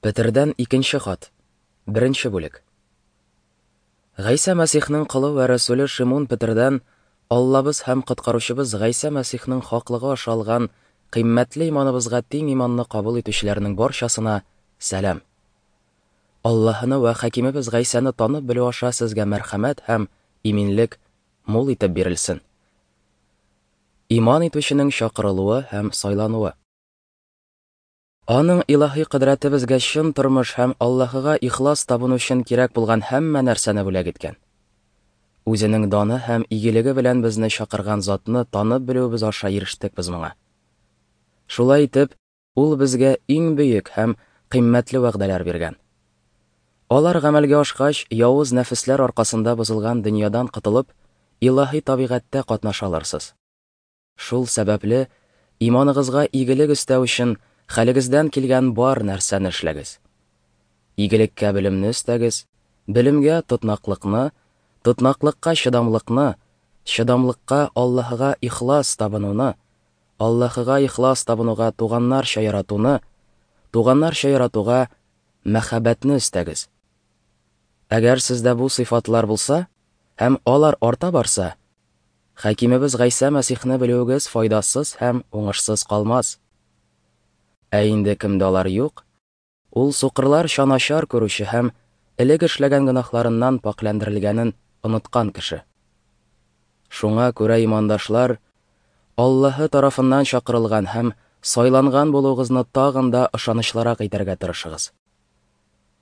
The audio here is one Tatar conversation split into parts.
Петердән икенче хат. Беренче бүлек. Гайсә Мәсихнең колы вә рәсүле Шимун Петердән Аллабыз һәм Коткаручыбыз Гайсә Мәсихнең хаклыгы аша алган кыйммәтле иманыбызга тиң иманны кабул итүчеләрнең барчасына сәлам. Аллаһыны вә Хакимебез Гайсәне танып белү аша сезгә мәрхәмәт һәм иминлек мул итеп бирелсен. Иман итүченең чакырылуы һәм сайлануы. Аның илаһи кодрәте безгә чын тормыш һәм Аллаһыга ихлас табыну өчен кирәк булган һәммә нәрсәне бүләк иткән. Үзенең даны һәм игелеге белән безне чакырган затны танып белүебез аша ирештек без моңа. Шулай итеп, ул безгә иң бөек һәм кыйммәтле вәгъдәләр биргән. Алар гамәлгә ашкач, явыз нәфесләр аркасында бозылган дөньядан котылып, илаһи табигатьтә катнаша алырсыз. Шул сәбәпле, иманыгызга игелек өстәү өчен хәлегездән килгән бар нәрсәне эшләгез. Игелеккә белемне өстәгез, белемгә тотнаклыкны, тотнаклыкка чыдамлыкны, чыдамлыкка Аллаһыга ихлас табынуны, Аллаһыга ихлас табынуга туганнарча яратуны, туганнарча яратуга мәхәббәтне өстәгез. Әгәр сездә бу сыйфатлар булса һәм алар арта барса, Хакимебез Гайсә Мәсихне белүегез файдасыз һәм уңышсыз калмас. Ә инде кемдә алар юк, ул сукырларча начар күрүче һәм элек эшләгән гөнаһларыннан пакьләндерелгәнен оныткан кеше. Шуңа күрә, имандашлар, Аллаһы тарафыннан чакырылган һәм сайланган булуыгызны тагын да ышанычлырак итәргә тырышыгыз.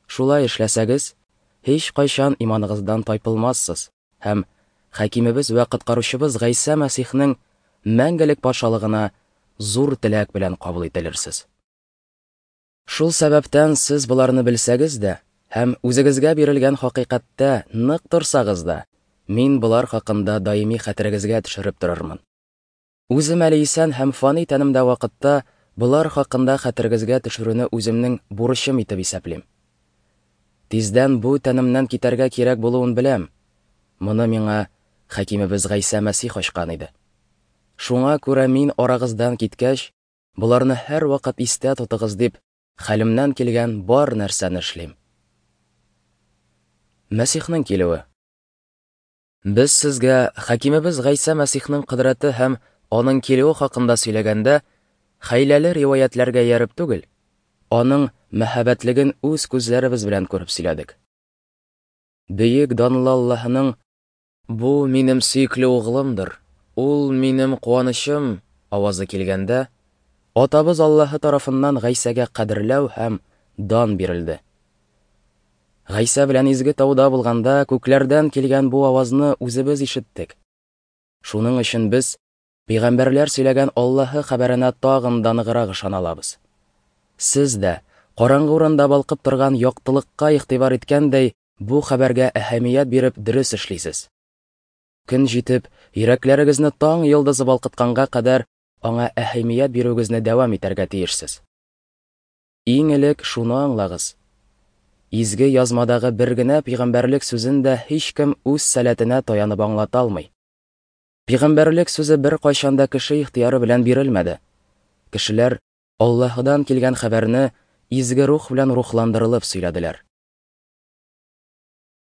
Шулай эшләсәгез, һичкайчан иманыгыздан тайпылмассыз һәм Хакимебез вә Коткаручыбыз Гайсә Мәсихнең мәңгелек патшалыгына зур теләк белән кабул ителерсез. Шул сәбәптән сез боларны белсәгез дә һәм үзегезгә бирелгән хакыйкатьтә нык торсагыз да, мин болар хакында даими хәтерегезгә төшереп торырмын. Үзем әле исән һәм фани тәнемдә вакытта болар хакында хәтерегезгә төшерүне үземнең бурычым итеп исәплим. Тиздән бу тәнемнән китәргә кирәк булуын беләм. Моны миңа Хакимебез Гайсә Мәсих ачкан иде. Шуңа күрә мин арагыздан киткәч, боларны һәрвакыт истә тотыгыз дип, хәлемнән килгән бар нәрсәне эшлим. Мәсихнең килүе. Без сезгә Хакимебез Гайсә Мәсихнең кодрәте һәм аның килүе хакында сөйләгәндә, хәйләле риваятьләргә ияреп түгел, аның мәһабәтлеген үз күзләребез белән күреп сөйләдек. Бөек данлы Аллаһының Бу минем сөекле углымдыр, ул минем куанычым авазы килгәндә, Атабыз Аллаһы тарафыннан Гайсәгә кадерләү һәм дан бирелде. Гайсә белән изге тауда булганда, күкләрдән килгән бу авазны үзебез ишеттек. Шуның өчен без пәйгамбәрләр сөйләгән Аллаһы хәбәренә тагын да ныграк ышана алабыз. Сез дә, караңгы урында балкып торган яктылыкка игътибар иткәндәй, бу хәбәргә әһәмият биреп дөрес эшлисез. Көн җитеп, йөрәкләрегезне таң йолдызы балкытканга кадәр аңа әһәмият бирүегезне дәвам итәргә тиешсез. Иң элек шуны аңлагыз. Изге язмадагы бер генә пәйгамбәрлек сүзен дә һичкем үз сәләтенә таянып аңлата алмый. Пәйгамбәрлек сүзе беркайчан да кеше ихтыяры белән бирелмәде. Кешеләр Аллаһыдан килгән хәбәрне изге рух белән рухландырылып сөйләделәр.